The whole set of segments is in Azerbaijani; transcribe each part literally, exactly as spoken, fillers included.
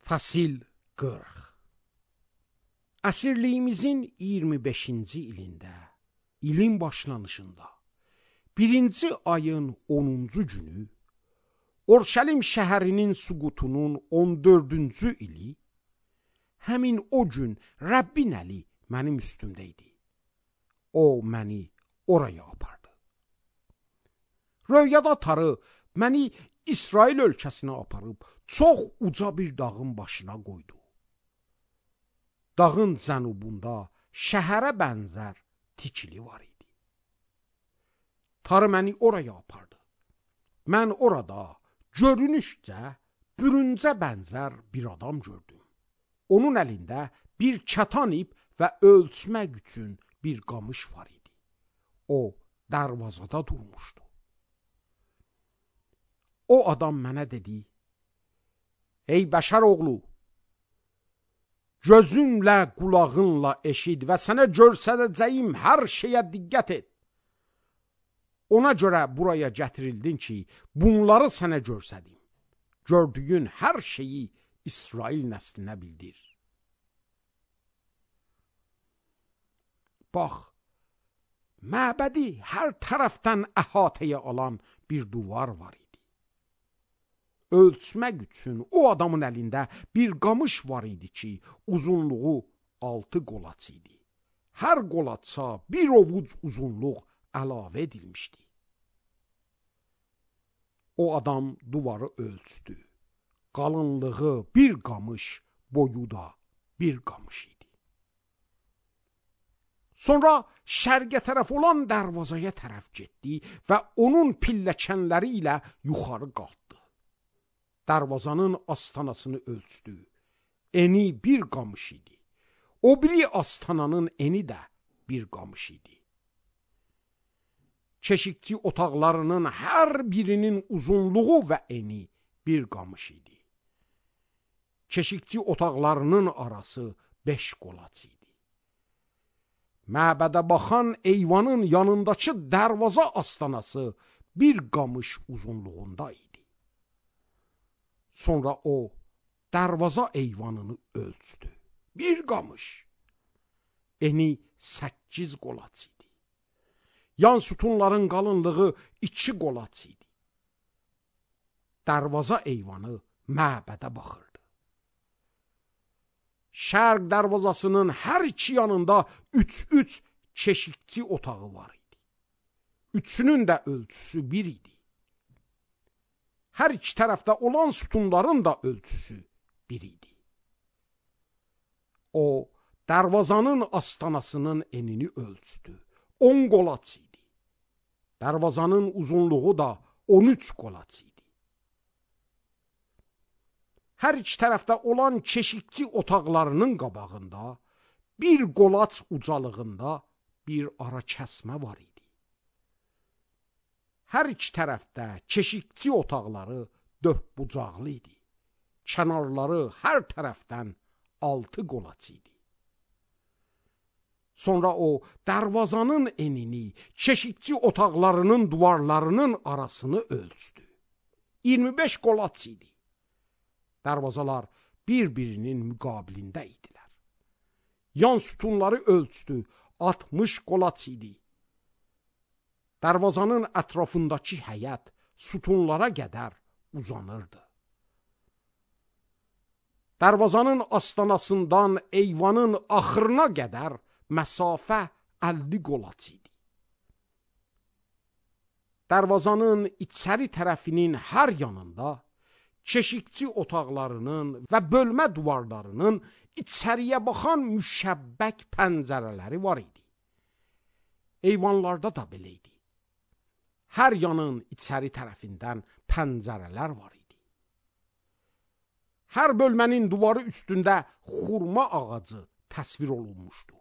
Fasil qırx. Əsirliyimizin iyirmi beşinci ilində, ilin başlanışında, birinci ayın onuncu günü, Orşəlim şəhərinin süqutunun on dördüncü ili, həmin o gün Rəbbin əli mənim üstümdə idi. O məni oraya apardı. Röyada tarı məni İsrail ölkəsinə aparıb çox uca bir dağın başına qoydu. Dağın cənubunda şəhərə bənzər tikili var idi. Tarı məni oraya apardı. Mən orada görünüşcə bürüncə bənzər bir adam gördüm. Onun əlində bir kətan ip və ölçmək üçün bir qamış var idi. O darvazada durmuşdu. O adam mənə dedi: "Ey bəşər oğlu, gözünlə, qulağınla eşid və sənə göstərəcəyim hər şeyə diqqət et. Ona görə buraya gətirildin ki, bunları sənə göstərim. Gördüyün hər şeyi İsrail nəslinə bildir." Bax, məbədi hər tərəfdən əhatəyə alan bir duvar var idi. Ölçmək üçün o adamın əlində bir qamış var idi ki, uzunluğu altı qolaç idi. Hər qolaça bir ovuc uzunluq əlavə edilmişdi. O adam duvarı ölçdü. Qalınlığı bir qamış, boyu da bir qamış idi. Sonra şərqə tərəf olan dərvazaya tərəf getdi və onun pilləkənləri ilə yuxarı qalxdı. Darvazanın astanasını ölçdü. Eni bir qamış idi. O biri astananın eni də bir qamış idi. Keşikçi otaqlarının hər birinin uzunluğu və eni bir qamış idi. Keşikçi otaqlarının arası beş qolaç idi. Məbədə baxan eyvanın yanındakı dərvaza astanası bir qamış uzunluğunda idi. Sonra o dərvaza eyvanını ölçdü. Bir qamış. Eni səkkiz qolaç idi. Yan sütunların qalınlığı iki qolaç idi. Dərvaza eyvanı məbədə baxırdı. Şərq dərvazasının hər iki yanında üç-üç keşikçi otağı var idi. Üçünün də ölçüsü bir idi. Hər iki tərəfdə olan sütunların da ölçüsü bir idi. O, dərvazanın astanasının enini ölçdü. on qolaç idi. Dərvazanın uzunluğu da on üç qolaç idi. Hər iki tərəfdə olan keşikçi otaqlarının qabağında bir qolaç ucalığında bir ara kəsmə var idi. Hər iki tərəfdə keşikçi otaqları dördbucaqlı idi. Kənarları hər tərəfdən altı qolaç idi. Sonra o dərvazanın enini, keşikçi otaqlarının duvarlarının arasını ölçdü. iyirmi beş qolaç idi. Dərvazalar bir-birinin müqabilində idilər. Yan sütunları ölçdü, altmış qolaç idi. Dərvazanın ətrafındakı həyət sütunlara qədər uzanırdı. Dərvazanın astanasından eyvanın axırına qədər məsafə əlli qolaç idi. Dərvazanın içəri tərəfinin hər yanında keşikçi otaqlarının və bölmə duvarlarının içəriyə baxan müşəbbək pəncərələri var idi. Eyvanlarda da belə idi. Hər yanın içəri tərəfindən pəncərələr var idi. Hər bölmənin duvarı üstündə xurma ağacı təsvir olunmuşdu.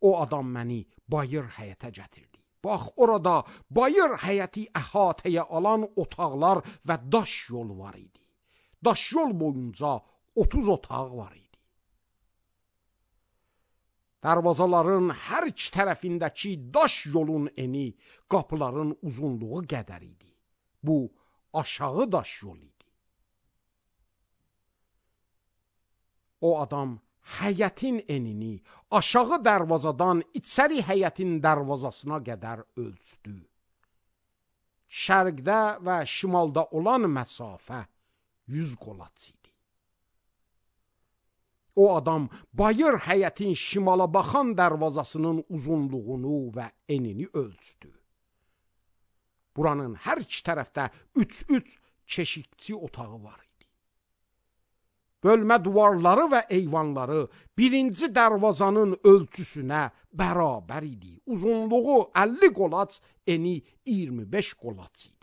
O adam məni bayır həyətə gətirdi. Bax, orada bayır həyəti əhatəyə alan otaqlar və daş yol var idi. Daş yol boyunca otuz otaq var idi. Dərvazaların hər iki tərəfindəki daş yolun eni qapıların uzunluğu qədər idi. Bu aşağı daş yol idi. O adam həyətin enini aşağı darvazadan içəri həyətin darvazasına qədər ölçdü. Şərqdə və şimalda olan məsafə yüz qolaç idi. O adam bayır həyətin şimala baxan darvazasının uzunluğunu və enini ölçdü. Buranın hər iki tərəfdə üç-üç keşikçi otağı var idi. Bölmə duvarları və eyvanları birinci darvazanın ölçüsünə bərabər idi. Uzunluğu əlli qolaç, eni iyirmi beş qolaç idi.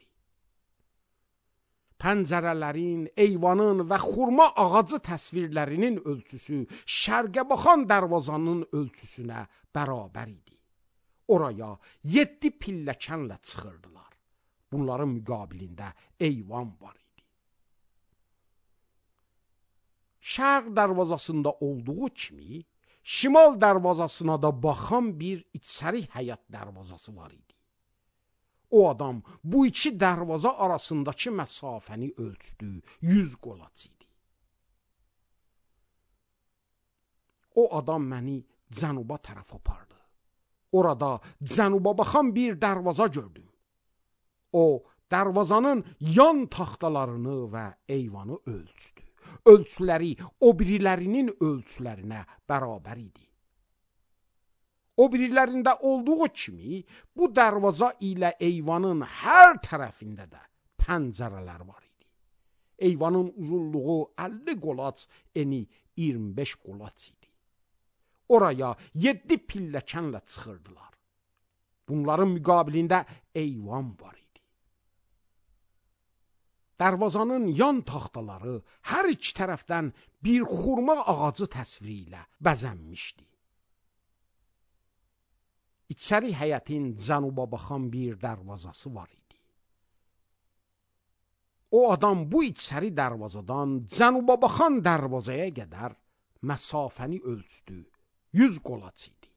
Pəncərələrin, eyvanın və xurma ağacı təsvirlərinin ölçüsü şərqə baxan darvazanın ölçüsünə bərabər idi. Oraya yeddi pilləkənlə çıxırdılar. Bunların müqabilində eyvan var idi. Şərq darvazasında olduğu kimi, şimal darvazasına da baxan bir içəri həyat darvazası var idi. O adam bu iki darvaza arasındakı məsafəni ölçdü, yüz qolaç idi. O adam məni cənuba tərəf apardı. Orada cənuba baxan bir darvaza gördüm. O, darvazanın yan taxtalarını və eyvanı ölçdü. Ölçüləri o birilərinin ölçülərinə bərabər idi. O birilərində olduğu kimi, bu darvaza ilə eyvanın hər tərəfində də pəncərələr var idi. Eyvanın uzunluğu əlli qolaç, eni iyirmi beş qolaç idi. Oraya yeddi pilləkənlə çıxırdılar. Bunların müqabilində eyvan var idi. Darvazanın yan taxtaları hər iki tərəfdən bir xurma ağacı təsviri ilə bəzənmişdi. İçəri həyətin cənuba baxan bir darvazası var idi. O adam bu içəri darvazadan cənuba baxan darvazaya qədər məsafəni ölçdü, yüz qolaç idi.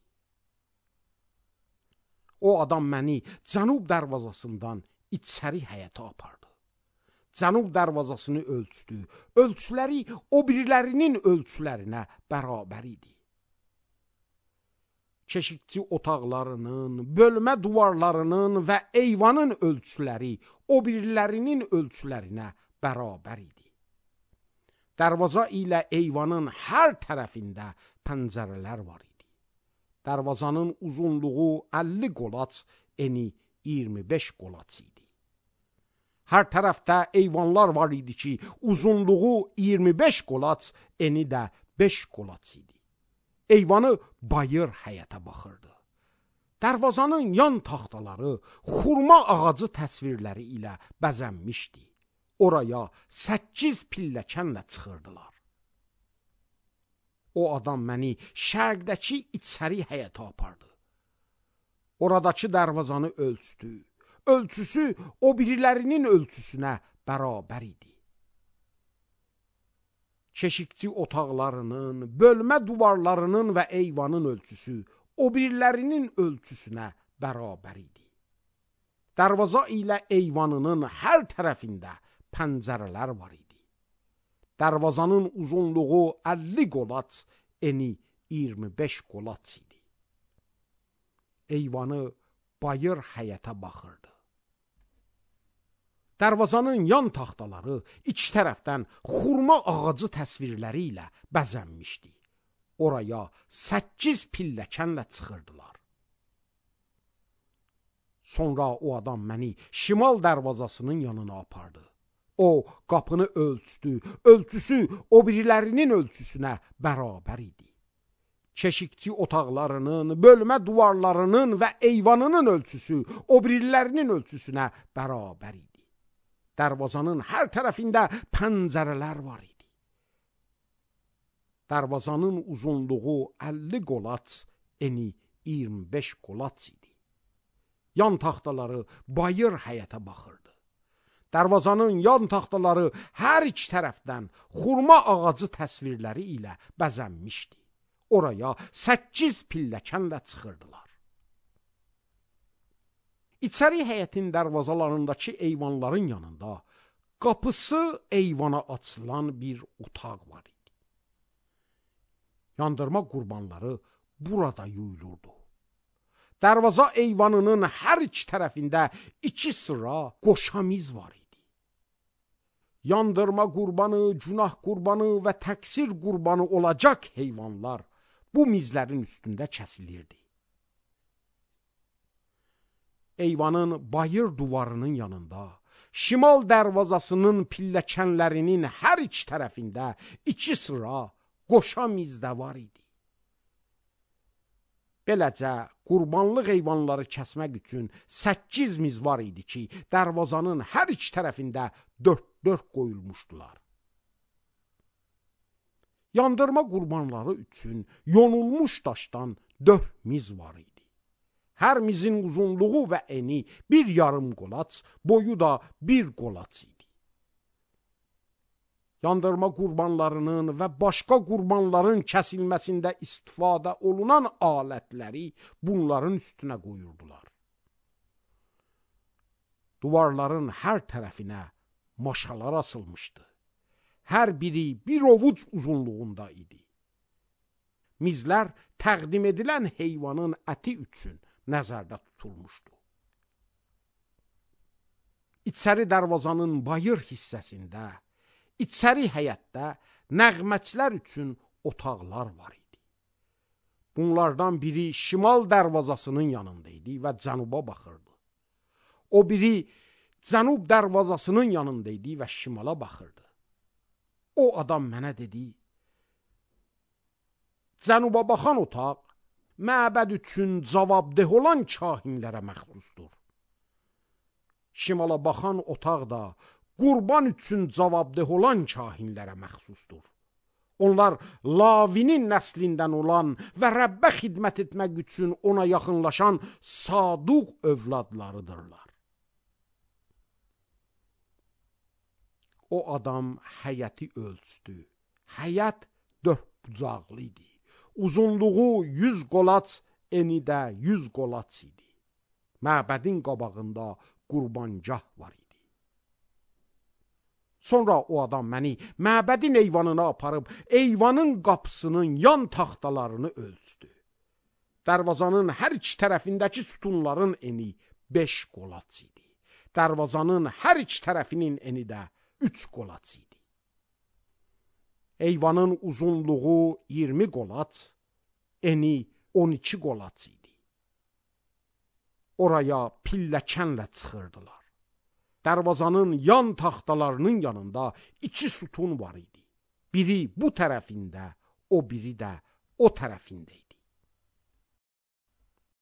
O adam məni cənub darvazasından içəri həyətə apardı. Cənub darvazasını ölçdü. Ölçüləri o birilərinin ölçülərinə bərabər idi. Keşikçi otaqlarının, bölmə duvarlarının və eyvanın ölçüləri o birilərinin ölçülərinə bərabər idi. Darvaza ilə eyvanın hər tərəfində pəncərələr var idi. Darvazanın uzunluğu əlli qolaç, eni iyirmi beş qolaç idi. Hər tərəfdə eyvanlar var idi ki, uzunluğu iyirmi beş qolaç, eni də beş qolaç idi. Eyvanı bayır həyətə baxırdı. Darvazanın yan taxtaları xurma ağacı təsvirləri ilə bəzənmişdi. Oraya səkkiz pilləkənlə çıxırdılar. O adam məni şərqdəki içəri həyətə apardı. Oradakı darvazanı ölçdü. Ölçüsü o birilərinin ölçüsünə bərabər idi. Keşikçi otaqlarının, bölmə duvarlarının və eyvanın ölçüsü o birilərinin ölçüsünə bərabər idi. Darvaza ilə eyvanının hər tərəfində pəncərələr var idi. Darvazanın uzunluğu əlli qolaç, eni iyirmi beş qolaç idi. Eyvanı bayır həyətə baxırdı. Darvazanın yan taxtaları iki tərəfdən xurma ağacı təsvirləri ilə bəzənmişdi. Oraya səkkiz pilləkənlə çıxırdılar. Sonra o adam məni şimal darvazasının yanına apardı. O, qapını ölçdü. Ölçüsü o birilərinin ölçüsünə bərabər idi. Keşikçi otaqlarının, bölmə duvarlarının və eyvanının ölçüsü o birilərinin ölçüsünə bərabər idi. Darvazanın hər tərəfində pəncərələr var idi. Darvazanın uzunluğu əlli qolaç, eni iyirmi beş qolaç idi. Yan taxtaları bayır həyətə baxırdı. Darvazanın yan taxtaları hər iki tərəfdən xurma ağacı təsvirləri ilə bəzənmişdi. Oraya səkkiz pilləkənlə çıxırdılar. İçəri həyətin darvazalarındakı eyvanların yanında qapısı eyvana açılan bir otaq var idi. Yandırma qurbanları burada yuyulurdu. Darvaza eyvanının hər iki tərəfində iki sıra qoşamiz var idi. Yandırma qurbanı, günah qurbanı və təqsir qurbanı olacaq heyvanlar bu mizlərin üstündə kəsilirdi. Eyvanın bayır duvarının yanında, şimal dərvazasının pilləkənlərinin hər iki tərəfində iki sıra qoşamiz də var idi. Beləcə, qurbanlıq heyvanları kəsmək üçün səkkiz miz var idi ki, dərvazanın hər iki tərəfində dörd-dörd qoyulmuşdular. Yandırma qurbanları üçün yonulmuş daşdan dörd miz var idi. Hər mizin uzunluğu və eni bir yarım qolaç, boyu da bir qolaç idi. Yandırma qurbanlarının və başqa qurbanların kəsilməsində istifadə olunan alətləri bunların üstünə qoyurdular. Duvarların hər tərəfinə maşalar asılmışdı. Hər biri bir ovuc uzunluğunda idi. Mizlər təqdim edilən heyvanın əti üçün nəzərdə tutulmuşdu. İçəri dərvazanın bayır hissəsində, İçəri həyətdə nəğməçilər üçün otaqlar var idi. Bunlardan biri şimal dərvazasının yanında idi və cənuba baxırdı. O biri cənub dərvazasının yanında idi və şimala baxırdı. O adam mənə dedi, cənuba baxan otaq məbəd üçün cavabdeh olan kahinlərə məxsusdur. Şimala baxan otaq da qurban üçün cavabdeh olan kahinlərə məxsusdur. Onlar Lavinin nəslindən olan və Rəbbə xidmət etmək üçün ona yaxınlaşan saduq övladlarıdırlar. O adam həyəti ölçdü. Həyət dörd bucaqlı idi. Uzunluğu yüz qolaç, eni də yüz qolaç idi. Məbədin qabağında qurbangah var idi. Sonra o adam məni məbədin eyvanına aparıb, eyvanın qapısının yan taxtalarını ölçdü. Dərvazanın hər iki tərəfindəki sütunların eni beş qolaç idi. Dərvazanın hər iki tərəfinin eni də üç qolaç idi. Eyvanın uzunluğu iyirmi qolaç, eni on iki qolaç idi. Oraya pilləkənlə çıxırdılar. Dərvazanın yan taxtalarının yanında iki sütun var idi. Biri bu tərəfində, o biri də o tərəfində idi.